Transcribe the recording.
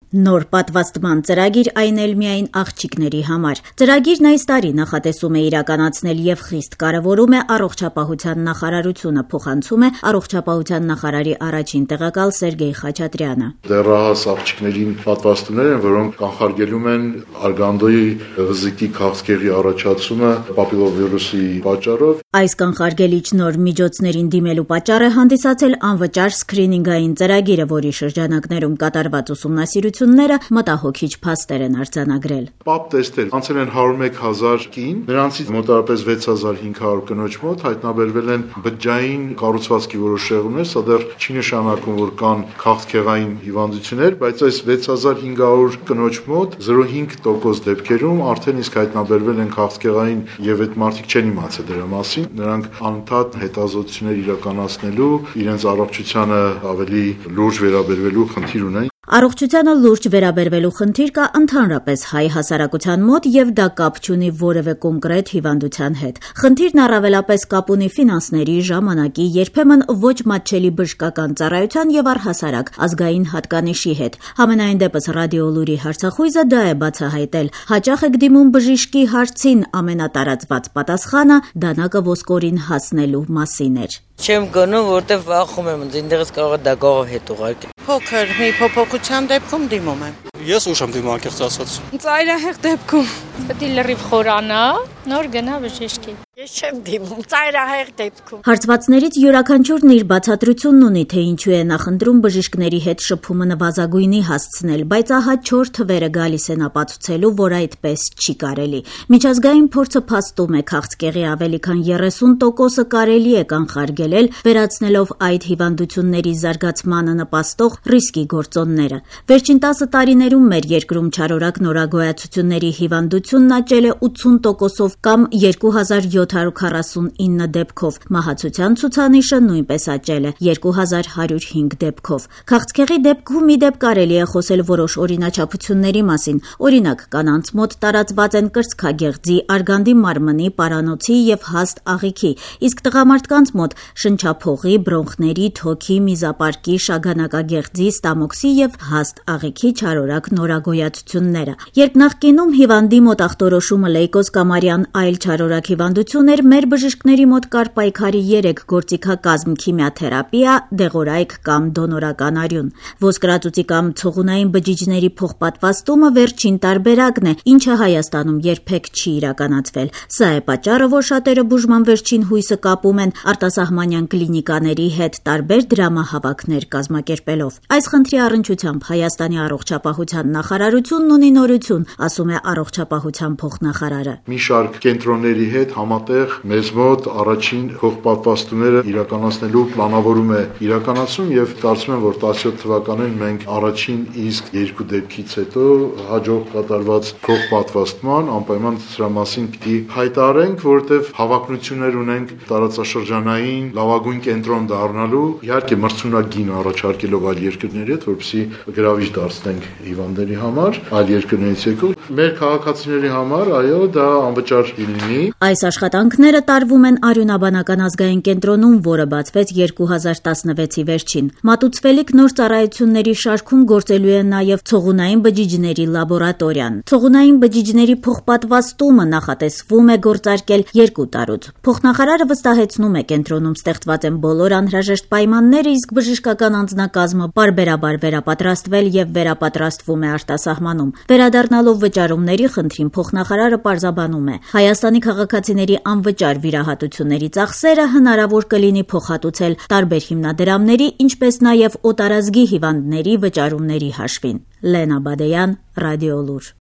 Նոր պատվաստման ծրագիր այն էլ միայն աղջիկների համար։ Ծրագիրն այս տարի նախատեսում է իրականացնել եւ խիստ կարեւորում է առողջապահության նախարարությունը, փոխանցում է առողջապահության նախարարի առաջին տեղակալ Սերգեյ Խաչատրյանը։ Դեռահաս աղջիկներին պատվաստումներ են, որոնք կանխարգելում են արգանդոյի վզիկի քաղցկեղի առաջացումը պապիլովիրուսի պատճառով։ Այս կանխարգելիչ նոր միջոցներին դիմելու պատճառ է հանդիսացել անվճար սկրինինգային ծրագիրը, որի շրջանակներում կատարված ուսումնասիրությունները մտահոգիչ փաստեր են արձանագրել։ Պապ տեստեր անցել են 101,000 կին, նրանցից մոտավորապես 6,500 կնոջ մոտ հայտնաբերվել են բջջային կառուցվածքի որոշ շեղումներ, սա դեռ չի նշանակում, որ կան քաղցկեղային հիվանդություններ, բայց այս 6,500 կնոջ մոտ 0.5% դեպքերում արդեն իսկ հայտնաբերվել են քաղցկեղային եւ այդ մարդիկ չեն իմացել դրա մասին, նրանք անընդհատ հետազոտություններ իրականացնելու, իրենց առողջությանը ավելի լուրջ վերաբերվելու խնդիր ունեն։ Առողջությանը լուրջ վերաբերվելու խնդիր կա ընդհանրապես հայ հասարակության մոտ եւ դա կապ չունի որևէ կոնկրետ հիվանդության հետ։ Խնդիրն առավելապես կապ ունի ֆինանսների, ժամանակի, երբեմն ոչ մատչելի բժշկական ծառայության եւ առհասարակ ազգային հատկանիշի հետ։ Համենայն դեպս Ռադիոլուրի հարցախույզը դա է բացահայտել։ Հաճախ եք դիմում բժիշկի հարցին, ամենատարածված պատասխանը դանակը ոսկորին հասնելու մասին էր։ Չեմ գնում, որտեվ վախում եմ, ինձ կարող է դագաղով հետ ուղարկել։ Փոքր մի փոփոխության դեպքում դիմում եմ։ Ես ուշ եմ դիմում անկեղծ ասած։ Ծայրահեղ դեպքում պետք է լրիվ խորանա, նոր գնա բժշկի։ Ես չեմ դիմում ծայրահեղ դեպքում։ Հարցվածներից յուրաքանչյուրն իր բացատրությունն ունի, թե ինչու է նախընտրում բժիշկների հետ շփումը նվազագույնի հասցնել, բայց ահա 4 թվերը գալիս են ապացուցելու, որ այդպես չի կարելի։ Միջազգային փորձը փաստում է, քաղցկեղի ավելի քան 30%-ը կարելի է կանխարգելել, վերացնելով այդ հիվանդությունների զարգացմանը նպաստող ռիսկի գործոնները։ Վերջին 10 տարիներում մեր երկրում չարորակ նորագոյացությունների հիվանդությունն աճել է 80%-ով կամ 2749 դեպքով, մահացության ցուցանիշը նույնպես աճել է 2105 դեպքով։ Քաղցկեղի դեպքում ի դեպ կարելի է խոսել որոշ օրինաչափությունների մասին, օրինակ կանանց մոտ տարածված են կրծքագեղձի, արգանդի մարմնի, պարանոցի եւ հաստ աղիքի, իսկ տղամարդկանց մոտ շնչափողի, բրոնխների, թոքի, միզապարկի, շագանակագեղձի, ստամոքսի եւ հաստ աղիքի չարորակ նորագոյացությունները։ Երբ նախկինում հիվանդի մոտ ախտորոշումը լեյկոզ կամ արյան այլ չարորակ հիվանդություն էր, մեր բժիշկների մոտ կար պայքարի 3 գործիքակազմ՝ քիմիաթերապիա, դեղորայք կամ դոնորական արյուն։ Ոսկրածուծի կամ ցողունային բջիջների փոխպատվաստումը վերջին տարբերակն է, ինչը Հայաստանում երբեք չի իրականացվել։ Սա է պատճառը, որ շատերը բուժման վերջին հույսը կապում են արտասահմանյան կլինիկաների հետ, տարբեր դրամահավաքներ կազմակերպելով։ Այս խնդրի առնչությամբ Հայաստանի առողջապահության նախարարությունն ունի նորություն, ասում է առողջապահության փոխնախարարը։ Մի շարք կենտրոնների հետ համատեղ մեզ մոտ առաջին փոխպատվաստումները իրականացնելու պլանավորում է իրականացում եւ կարծում եմ, որ 17 թվականին մենք առաջին իսկ 2 դեպքից հետո հաջող կատարված փոխպատվաստման անպայման սրա մասին պիտի հայտարենք, որովհետեւ հավակնություններ ունենք տարածաշրջանային լավագույն կենտրոն դառնալու, իհարկե մրցունակին առաջարկելով այլ երկրների հետ, որպեսզի գրավիչ դարձնենք հիվանդների համար, այլ երկրներից եկող մեր քաղաքացիների համար, այո, դա անվճար լինի։ Այս աշխատանքները տարվում են Արյունաբանական ազգային կենտրոնում, որը բացվեց 2016-ի վերջին։ Մատուցվելիք նոր ծառայությունների շարքում գործելու է նաև ցողունային բջիջների լաբորատորիան։ Ցողունային բջիջների փոխպատվաստումը նախատեսվում է գործարկել 2 տարուց։ Փոխնախարարը վստահեցնում է, կենտրոնում ստեղծված են բոլոր անհրաժեշտ պայմանները, իսկ բժշկական անձնակազմը պարբերաբար վերապատրաստվել եւ վերապատրաստվում է արտասահմանում։ Վերադառնալով վճարումների խնդրին փոխնախարարը պարզաբանում է. Հայաստանի քաղաքացիների անվճար վիրահատությունների ծախսերը հնարավոր կլինի փոխհատուցել տարբեր հիմնադրամների, ինչպես նաև օտարազգի հիվանդների վճարումների հաշվին։ Լենա Բադեյան, Ռադիոլուր։